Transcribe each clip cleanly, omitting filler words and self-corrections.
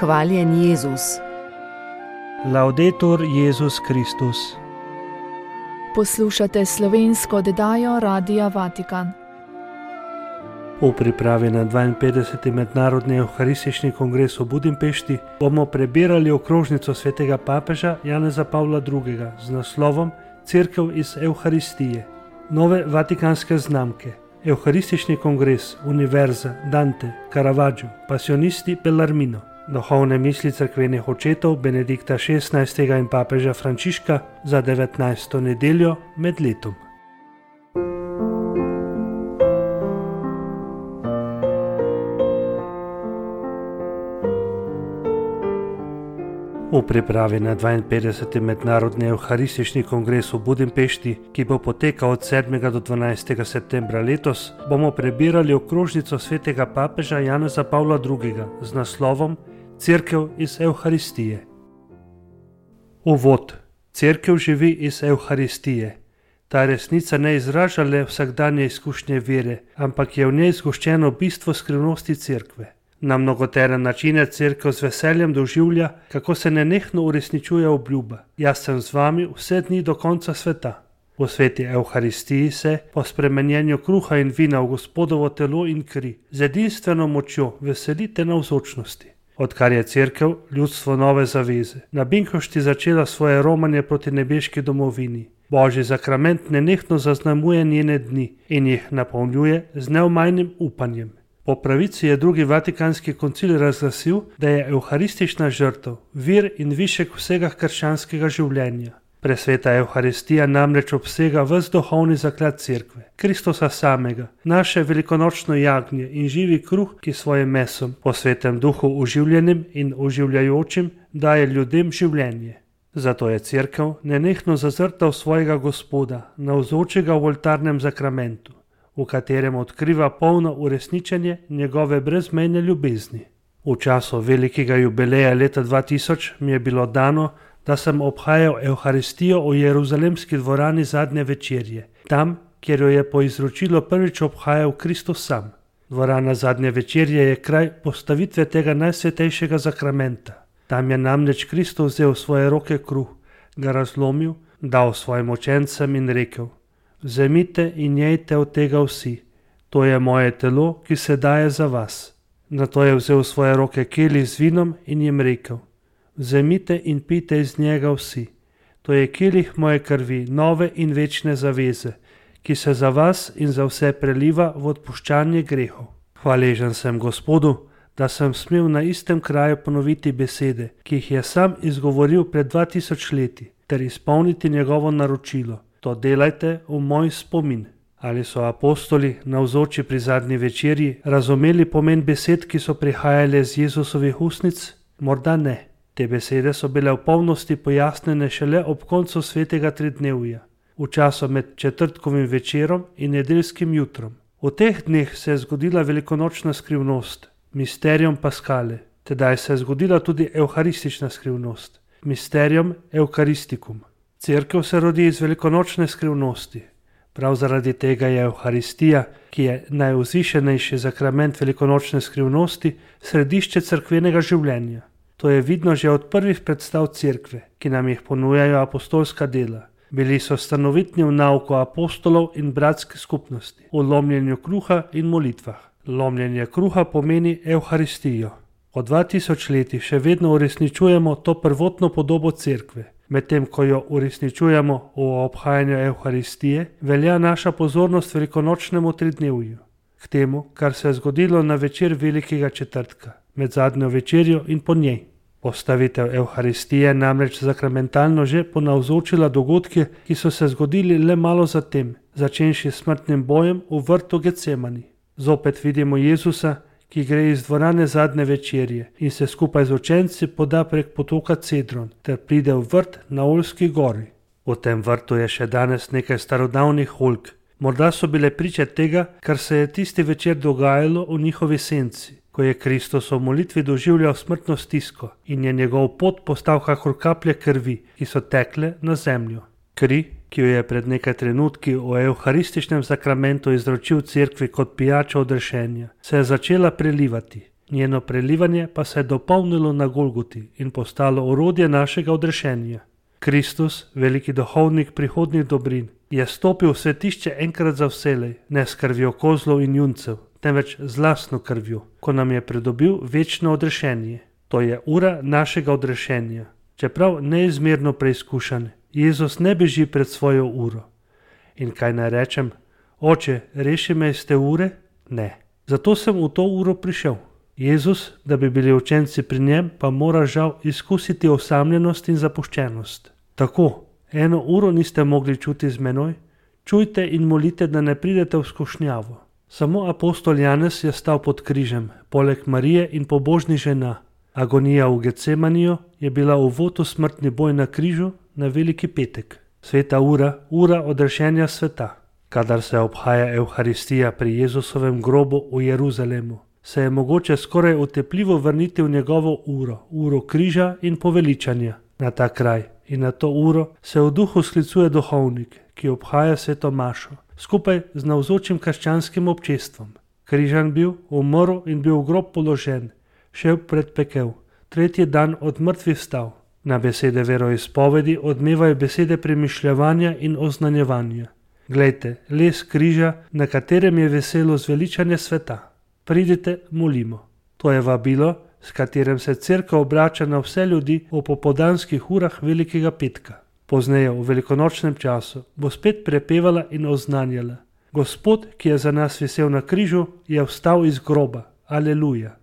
Hvaljen Jezus. Laudetur Jezus Kristus. Poslušate slovensko oddajo Radia Vatikan. V pripravi na 52. mednarodni evharistični kongres v Budimpešti bomo prebirali okrožnico svetega papeža Janeza Pavla II. Z naslovom Cerkev iz Evharistije. Nove vatikanske znamke. Evharistični kongres, Univerza, Dante, Caravaggio, Pasionisti, Bellarmino. Duhovne misli cerkvenih očetov Benedikta XVI. In papeža Frančiška za 19. nedeljo med letom. V pripravi na 52. mednarodni evharistični kongres v Budimpešti, ki bo potekal od 7. do 12. septembra letos, bomo prebirali okrožnico svetega papeža Janeza Pavla II. Z naslovom Cerkev iz Evharistije. Uvod. Cerkev živi iz Evharistije. Ta resnica ne izraža le vsakdanje izkušnje vere, ampak je v njej zgoščeno bistvo skrivnosti cerkve. Na mnogotere načine cerkev z veseljem doživlja, kako se nenehno uresničuje obljuba. Jaz sem z vami vse dni do konca sveta. V sveti Evharistiji se, po spremenjenju kruha in vina v Gospodovo telo in kri, z edinstveno močjo veselite navzočnosti. Odkar je cerkev, ljudstvo nove zaveze, na Binkošti začela svoje romanje proti nebeški domovini, Božji zakrament nenehno zaznamuje njene dni in jih napolnjuje z neomajnim upanjem. Po pravici je drugi vatikanski koncil razglasil, da je evharistična žrtev vir in višek vsega krščanskega življenja. Presveta Evharistija namreč obsega ves duhovni zaklad cerkve, Kristusa samega, naše velikonočno jagnje in živi kruh, ki svojim mesom, po svetem duhu oživljenim in oživljajočim, daje ljudem življenje. Zato je cerkev nenehno zazrta v svojega Gospoda, navzočega v oltarnem zakramentu, v katerem odkriva polno uresničenje njegove brezmejne ljubezni. V času velikega jubileja leta 2000 mi je bilo dano, da sem obhajal Evharistijo v Jeruzalemski dvorani zadnje večerje, tam, kjer jo je po izročilu prvič obhajal Kristus sam. Dvorana zadnje večerje je kraj postavitve tega najsvetejšega zakramenta. Tam je namreč Kristus vzel v svoje roke kruh, ga razlomil, dal svojim učencem in rekel: Vzemite in jejte od tega vsi, to je moje telo, ki se daje za vas. Nato je vzel v svoje roke kelih z vinom in jim rekel: Vzemite in pijte iz njega vsi, to je kelih moje krvi, nove in večne zaveze, ki se za vas in za vse preliva v odpuščanje grehov. Hvaležen sem Gospodu, da sem smel na istem kraju ponoviti besede, ki jih je sam izgovoril pred 2000 leti, ter izpolniti njegovo naročilo. To delajte v moj spomin. Ali so apostoli, navzoči pri zadnji večerji, razumeli pomen besed, ki so prihajale z Jezusovih ustnic? Morda ne. Te besede so bile v polnosti pojasnjene šele ob koncu svetega tridnevja, v času med četrtkovim večerom in nedeljskim jutrom. V teh dneh se je zgodila velikonočna skrivnost, Mysterium Paschale. Tedaj se je zgodila tudi evharistična skrivnost, Mysterium Eucharisticum. Cerkev se rodi iz velikonočne skrivnosti. Prav zaradi tega je Evharistija, ki je najvzvišenejši zakrament velikonočne skrivnosti, središče cerkvenega življenja. To je vidno že od prvih predstav cerkve, ki nam jih ponujajo apostolska dela. Bili so stanovitni v nauku apostolov in bratske skupnosti, v lomljenju kruha in molitvah. Lomljenje kruha pomeni Evharistijo. Od 2000 leti še vedno uresničujemo to prvotno podobo cerkve. Medtem ko jo uresničujemo v obhajanju Evharistije, velja naša pozornost velikonočnemu tridnevju, k temu, kar se je zgodilo na večer velikega četrtka, med zadnjo večerjo in po njej. Postavitev Evharistije namreč zakramentalno že ponavzočila dogodke, ki so se zgodili le malo zatem, začenši s smrtnim bojem v vrtu Getsemani. Zopet vidimo Jezusa, ki gre iz dvorane zadnje večerje in se skupaj z učenci poda prek potoka Cedron ter pride v vrt na Oljski gori. V tem vrtu je še danes nekaj starodavnih oljk. Morda so bile priče tega, kar se je tisti večer dogajalo v njihovi senci, ko je Kristus v molitvi doživljal smrtno stisko in je njegov pot postal kakor kaplje krvi, ki so tekle na zemljo. Kri, ki jo je pred nekaj trenutki v evharističnem zakramentu izročil cerkvi kot pijača odrešenja, se je začela prelivati. njeno prelivanje pa se je dopolnilo na Golgoti in postalo orodje našega odrešenja. Kristus, veliki duhovnik prihodnjih dobrin, je stopil v svetišče enkrat za vselej, ne s krvjo kozlov in juncev, temveč z lastno krvjo, ko nam je pridobil večno odrešenje. To je ura našega odrešenja. Čeprav neizmerno preizkušan, Jezus ne beži pred svojo uro. In kaj naj rečem? Oče, reši me iz te ure? Ne. Zato sem v to uro prišel. Jezus, da bi bili učenci pri njem, pa mora žal izkusiti osamljenost in zapuščenost. Tako, 1 uro niste mogli čuti z menoj, čujte in molite, da ne pridete v skušnjavo. Samo apostol Janez je stal pod križem, poleg Marije in pobožnih žena. Agonija v Getsemaniju je bila uvod v smrtni boj na križu na Veliki petek. Sveta ura, ura odrešenja sveta. Kadar se obhaja Evharistija pri Jezusovem grobu v Jeruzalemu, se je mogoče skoraj utepljivo vrniti v njegovo uro križa in poveličanja. Na ta kraj in na to uro se v duhu sklicuje duhovnik, ki obhaja sveto mašo, skupaj z navzočim krščanskim občestvom. Križan bil, umrl in bil v grob položen, šel pred pekel, 3. dan od mrtvih vstal. Na besede veroizpovedi odmevajo besede premišljevanja in oznanjevanja. Glejte, les križa, na katerem je veselo zveličanje sveta. Pridite, molimo. To je vabilo, s katerim se cerkev obrača na vse ljudi v popoldanskih urah Velikega petka. Pozneje, v velikonočnem času, bo spet prepevala in oznanjala. Gospod, ki je za nas visel na križu, je vstal iz groba. Aleluja.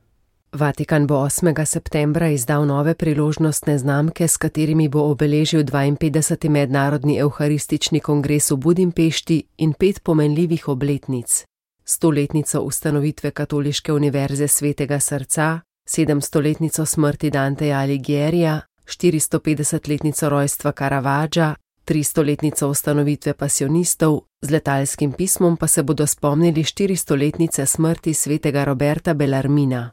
Vatikan bo 8. septembra izdal nove priložnostne znamke, s katerimi bo obeležil 52. mednarodni evharistični kongres v Budimpešti in 5 pomenljivih obletnic. 100-letnico ustanovitve Katoliške univerze Svetega srca, 700-letnico smrti Danteja Alighiera, 450-letnico rojstva Caravaggia, 300-letnico ustanovitve pasionistov, z letalskim pismom pa se bodo spomnili 400-letnice smrti svetega Roberta Bellarmina.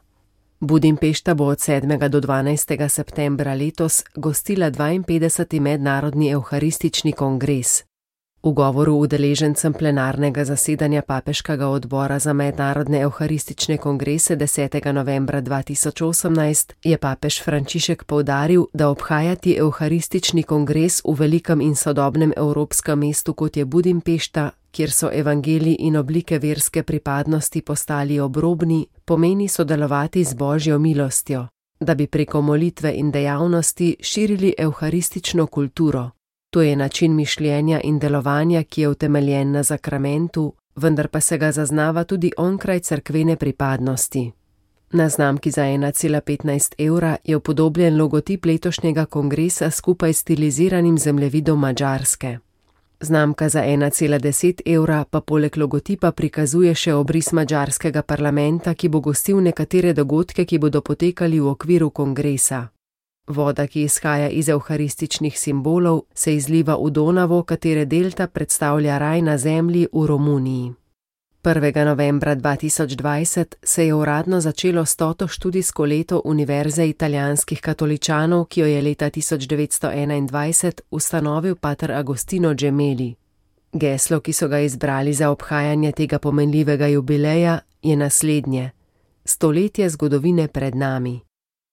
Budimpešta bo od 7. do 12. septembra letos gostila 52. mednarodni evharistični kongres. V govoru udeležencem plenarnega zasedanja Papeškega odbora za mednarodne evharistične kongrese 10. novembra 2018 je papež Frančišek poudaril, da obhajati evharistični kongres v velikem in sodobnem evropskem mestu, kot je Budimpešta, kjer so evangeliji in oblike verske pripadnosti postali obrobni, pomeni sodelovati z Božjo milostjo, da bi preko molitve in dejavnosti širili evharistično kulturo. To je način mišljenja in delovanja, ki je utemeljen na zakramentu, vendar pa se ga zaznava tudi onkraj cerkvene pripadnosti. Na znamki za 1,15 evra je upodobljen logotip letošnjega kongresa skupaj s stiliziranim zemljevidom Madžarske. Znamka za 1,10 evra pa poleg logotipa prikazuje še obris madžarskega parlamenta, ki bo gostil nekatere dogodke, ki bodo potekali v okviru kongresa. Voda, ki izhaja iz evharističnih simbolov, se izliva v Donavo, katere delta predstavlja raj na zemlji v Romuniji. 1. novembra 2020 se je uradno začelo 100. študijsko leto Univerze italijanskih katoličanov, ki jo je leta 1921 ustanovil pater Agostino Gemelli. Geslo, ki so ga izbrali za obhajanje tega pomenljivega jubileja, je naslednje: stoletje zgodovine pred nami.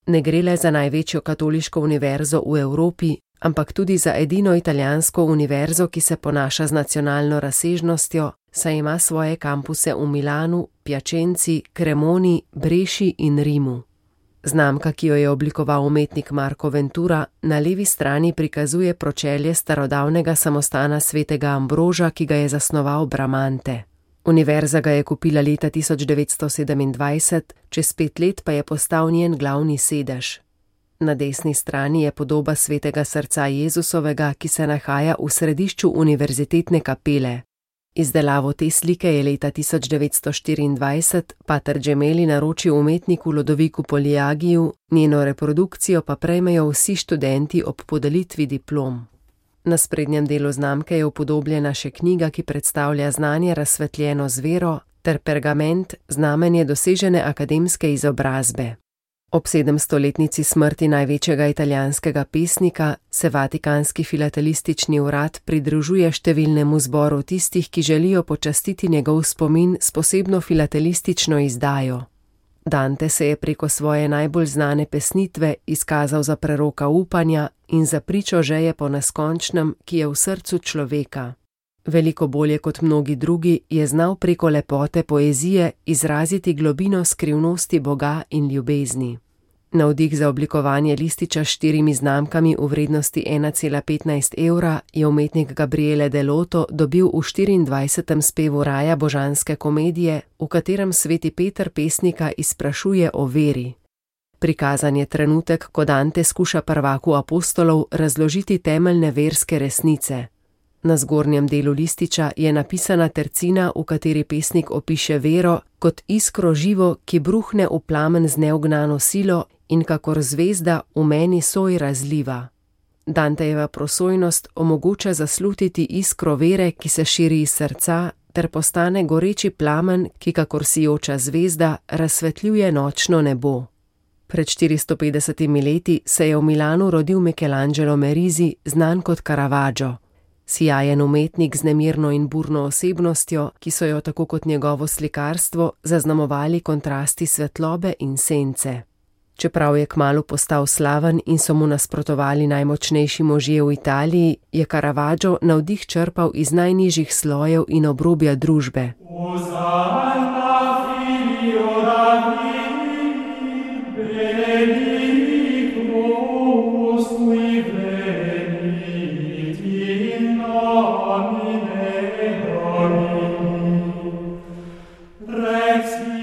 Ne gre le za največjo katoliško univerzo v Evropi, ampak tudi za edino italijansko univerzo, ki se ponaša z nacionalno razsežnostjo, saj ima svoje kampuse v Milanu, Piacenzi, Cremoni, Breši in Rimu. Znamka, ki jo je oblikoval umetnik Marco Ventura, na levi strani prikazuje pročelje starodavnega samostana svetega Ambroža, ki ga je zasnoval Bramante. Univerza ga je kupila leta 1927, čez 5 let pa je postal njen glavni sedež. Na desni strani je podoba svetega srca Jezusovega, ki se nahaja v središču univerzitetne kapele. Izdelavo te slike je leta 1924 pater Gemelli naročil umetniku Lodoviku Poliagiju, njeno reprodukcijo pa prejmejo vsi študenti ob podelitvi diplom. Na sprednjem delu znamke je upodobljena še knjiga, ki predstavlja znanje razsvetljeno z vero, ter pergament, znamenje dosežene akademske izobrazbe. Ob 700-letnici smrti največjega italijanskega pesnika se Vatikanski filatelistični urad pridružuje številnemu zboru tistih, ki želijo počastiti njegov spomin s posebno filatelistično izdajo. Dante se je preko svoje najbolj znane pesnitve izkazal za preroka upanja in za pričo želje po neskončnem, ki je v srcu človeka. Veliko bolje kot mnogi drugi je znal preko lepote poezije izraziti globino skrivnosti Boga in ljubezni. Navdih za oblikovanje lističa s 4 znamkami v vrednosti 1,15 evra je umetnik Gabriele Deloto dobil v 24. spevu raja božanske komedije, v katerem sveti Peter pesnika izprašuje o veri. Prikazan je trenutek, ko Dante skuša prvaku apostolov razložiti temeljne verske resnice. Na zgornjem delu lističa je napisana tercina, v kateri pesnik opiše vero kot iskro živo, ki bruhne v plamen z neugnano silo in kakor zvezda v meni soj razliva. Dantejeva prosojnost omogoča zaslutiti iskro vere, ki se širi iz srca, ter postane goreči plamen, ki kakor sijoča zvezda razsvetljuje nočno nebo. Pred 450 leti se je v Milanu rodil Michelangelo Merisi, znan kot Caravaggio. Sijajen umetnik z nemirno in burno osebnostjo, ki so jo tako kot njegovo slikarstvo zaznamovali kontrasti svetlobe in sence. Čeprav je kmalu postal slaven in so mu nasprotovali najmočnejši možje v Italiji, je Caravaggio navdih črpal iz najnižjih slojev in obrobja družbe.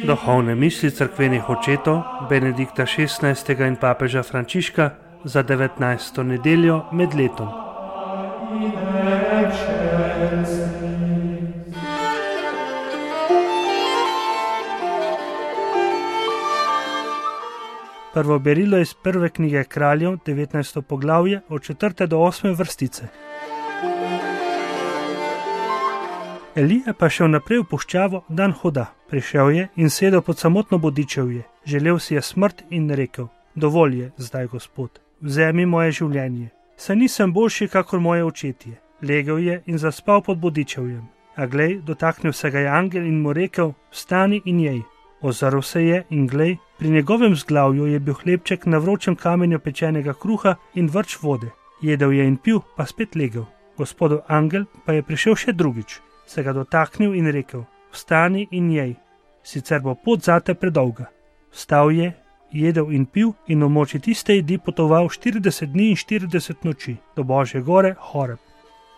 Duhovne misli cerkvenih očetov Benedikta XVI. In papeža Frančiška za 19. nedeljo med letom. Prvo berilo iz prve knjige Kraljev, 19. poglavje, od 4. do 8. vrstice. Elija pa šel naprej v puščavo dan hoda. Prišel je in sedel pod samotno bodičevje. Želel si je smrt in rekel: dovolj je zdaj, Gospod, vzemi moje življenje. Saj nisem boljši kakor moje očetje. Legel je in zaspal pod bodičevjem. A glej, dotaknil se ga je angel in mu rekel: vstani in jej. Ozrl se je in glej, pri njegovem zglavju je bil hlebček na vročem kamenju pečenega kruha in vrč vode. Jedel je in pil, pa spet legel. Gospodov angel pa je prišel še drugič, se ga dotaknil in rekel: vstani in jej, sicer bo pot zate predolga. Vstal je, jedel in pil in v moči tiste jedi potoval 40 dni in 40 noči do Božje gore Horeb.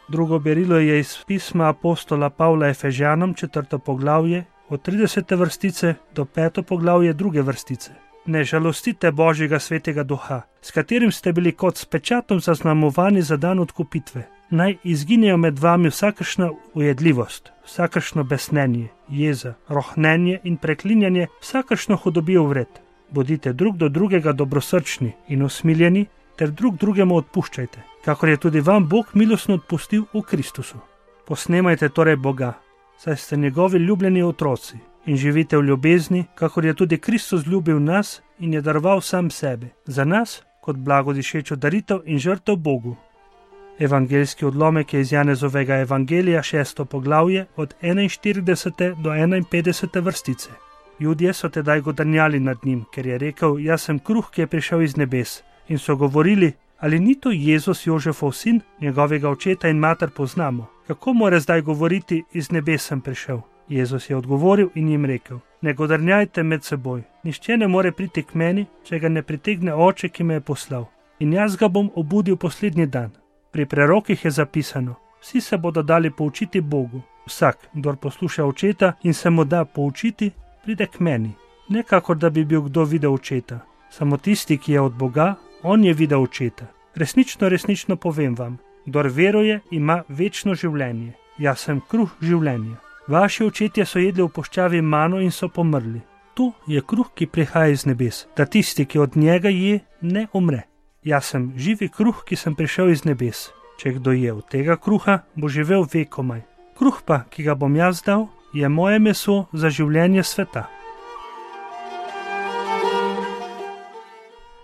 Drugo berilo je iz pisma apostola Pavla Efežanom, 4. poglavje, od 30. vrstice do 5. poglavje 2. vrstice. Ne žalostite Božjega svetega duha, s katerim ste bili kot s pečatom zaznamovani za dan odkupitve. Naj izginejo med vami vsakršna ujedljivost, vsakršno besnenje, jeza, rohnenje in preklinjanje, vsakršno hudobijo vred. Bodite drug do drugega dobrosrčni in usmiljeni, ter drug drugemu odpuščajte, kakor je tudi vam Bog milostno odpustil v Kristusu. Posnemajte torej Boga, saj ste njegovi ljubljeni otroci, in živite v ljubezni, kakor je tudi Kristus ljubil nas in je daroval sam sebe, za nas kot blagodišečo daritev in žrtev Bogu. Evangeljski odlomek je iz Janezovega evangelija, 6. poglavje, od 41. do 51. vrstice. Judje so tedaj godrnjali nad njim, ker je rekel: jaz sem kruh, ki je prišel iz nebes. In so govorili: ali ni to Jezus, Jožefov sin, njegovega očeta in mater poznamo? Kako more zdaj govoriti: iz nebes sem prišel? Jezus je odgovoril in jim rekel: ne godrnjajte med seboj. Nihče ne more priti k meni, če ga ne pritegne Oče, ki me je poslal. In jaz ga bom obudil poslednji dan. Pri prerokih je zapisano: vsi se bodo dali poučiti Bogu. Vsak, kdor posluša Očeta in se mu da poučiti, pride k meni. Ne kakor da bi bil kdo videl Očeta. Samo tisti, ki je od Boga, on je videl Očeta. Resnično, resnično povem vam, kdor veruje, ima večno življenje. Jaz sem kruh življenja. Vaši očetje so jedli v puščavi mano in so pomrli. To je kruh, ki prihaja iz nebes, da tisti, ki od njega je, ne umre. Jaz sem živi kruh, ki sem prišel iz nebes. Če kdo je od tega kruha, bo živel vekomaj. Kruh pa, ki ga bom jaz dal, je moje meso za življenje sveta.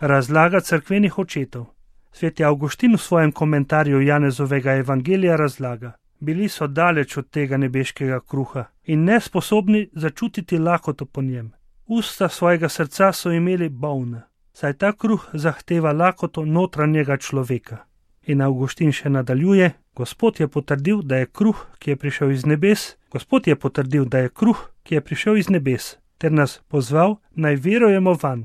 Razlaga cerkvenih očetov. Sveti Avguštin v svojem komentarju Janezovega evangelija razlaga: bili so daleč od tega nebeškega kruha in nesposobni začutiti lakoto po njem. Usta svojega srca so imeli bolna, saj ta kruh zahteva lakoto notranjega človeka. In Avguštin še nadaljuje: Gospod je potrdil, da je kruh, ki je prišel iz nebes, ter nas pozval, naj verujemo vanj.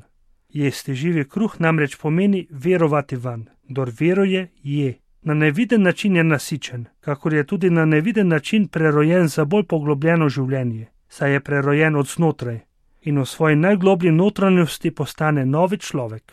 Jesti živi kruh namreč pomeni verovati vanj. Kdor veruje, je. Na neviden način je nasičen, kakor je tudi na neviden način prerojen za bolj poglobljeno življenje, saj je prerojen od znotraj in v svoji najgloblji notranjosti postane novi človek.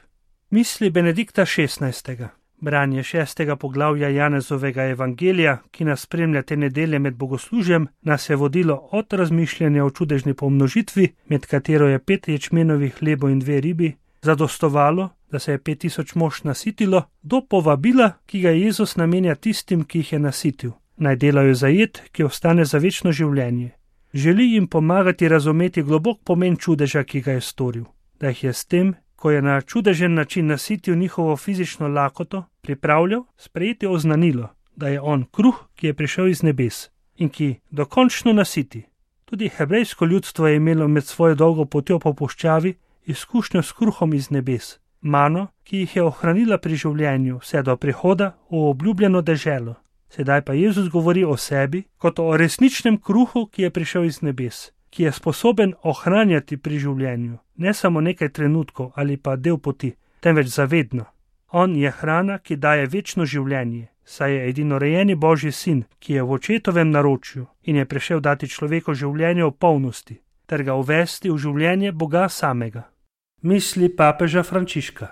Misli Benedikta XVI. Branje 6. poglavja Janezovega evangelija, ki nas spremlja te nedelje med bogoslužjem, nas je vodilo od razmišljanja o čudežni pomnožitvi, med katero je 5 ječmenovih hlebov in 2 ribi, zadostovalo, da se je 5000 mož nasitilo, do povabila, ki ga Jezus namenja tistim, ki jih je nasitil. Naj delajo za jed, ki ostane za večno življenje. Želi jim pomagati razumeti globok pomen čudeža, ki ga je storil. Da jih je s tem, ko je na čudežen način nasitil njihovo fizično lakoto, pripravljal sprejeti oznanilo, da je on kruh, ki je prišel iz nebes in ki dokončno nasiti. Tudi hebrejsko ljudstvo je imelo med svojo dolgo potjo po puščavi izkušnjo s kruhom iz nebes, mano, ki jih je ohranila pri življenju vse do prihoda v obljubljeno deželo. Sedaj pa Jezus govori o sebi kot o resničnem kruhu, ki je prišel iz nebes, ki je sposoben ohranjati pri življenju, ne samo nekaj trenutkov ali pa del poti, temveč zavedno. On je hrana, ki daje večno življenje, saj je edinorejeni Božji sin, ki je v očetovem naročju in je prišel dati človeku življenje v polnosti, ter ga uvesti v življenje Boga samega. Misli papeža Frančiška.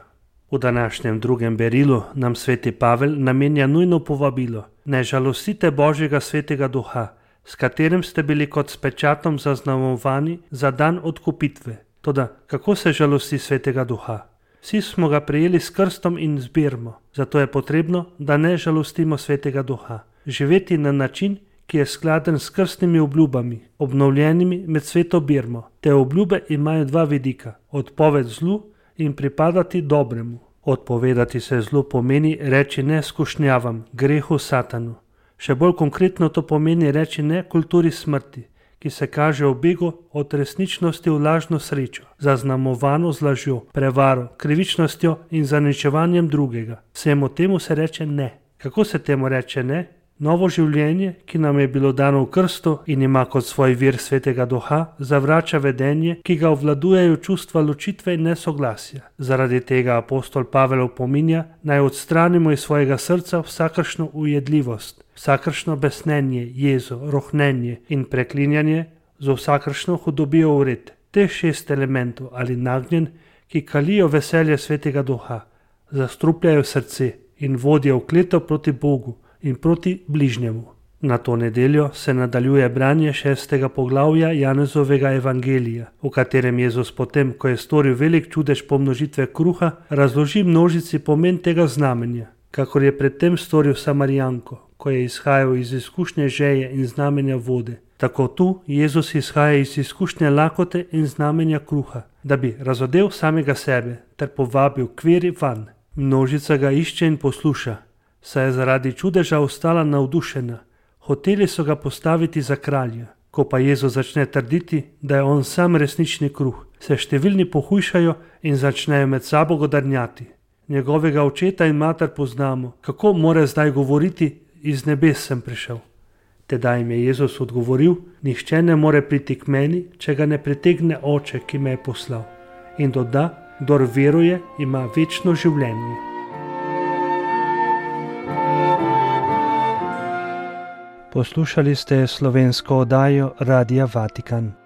V današnjem drugem berilu nam sveti Pavel namenja nujno povabilo: ne žalostite Božjega svetega duha, s katerim ste bili kot s pečatom zaznamovani za dan odkupitve. Toda kako se žalosti svetega duha? Vsi smo ga prejeli s krstom in z birmo, zato je potrebno, da ne žalostimo svetega duha. Živeti na način, ki je skladen s krstnimi obljubami, obnovljenimi med sveto birmo. Te obljube imajo 2 vidika: odpoved zlu in pripadati dobremu. Odpovedati se zlu pomeni reči ne skušnjavam, grehu, satanu. Še bolj konkretno to pomeni reči ne kulturi smrti, ki se kaže v begu od resničnosti v lažno srečo, zaznamovano z lažjo, prevaro, krivičnostjo in zaničevanjem drugega. Vsemu temu se reče ne. Kako se temu reče ne? Novo življenje, ki nam je bilo dano v krstu in ima kot svoj vir svetega duha, zavrača vedenje, ki ga obvladujejo čustva ločitve in nesoglasja. Zaradi tega apostol Pavel opominja, naj odstranimo iz svojega srca vsakršno ujedljivost, vsakršno besnenje, jezo, rohnenje in preklinjanje z vsakršno hudobijo vred. Teh 6 elementov ali nagnjen, ki kalijo veselje svetega duha, zastrupljajo srce in vodijo v kleto proti Bogu in proti bližnjemu. Na to nedeljo se nadaljuje branje 6. poglavja Janezovega evangelija, v katerem Jezus potem, ko je storil velik čudež pomnožitve kruha, razloži množici pomen tega znamenja, kakor je predtem storil Samarijanko, ko je izhajal iz izkušnje žeje in znamenja vode. Tako tu Jezus izhaja iz izkušnje lakote in znamenja kruha, da bi razodel samega sebe ter povabil k veri vanj. Množica ga išče in posluša, saj je zaradi čudeža ostala navdušena. Hoteli so ga postaviti za kralja. Ko pa Jezus začne trditi, da je on sam resnični kruh, se številni pohujšajo in začnejo med sabo godrnjati. Njegovega očeta in mater poznamo, kako more zdaj govoriti, iz nebes sem prišel. Tedaj jim je Jezus odgovoril, nihče ne more priti k meni, če ga ne pritegne Oče, ki me je poslal. In doda, kdor veruje, ima večno življenje. Poslušali ste slovensko oddajo Radia Vatikan.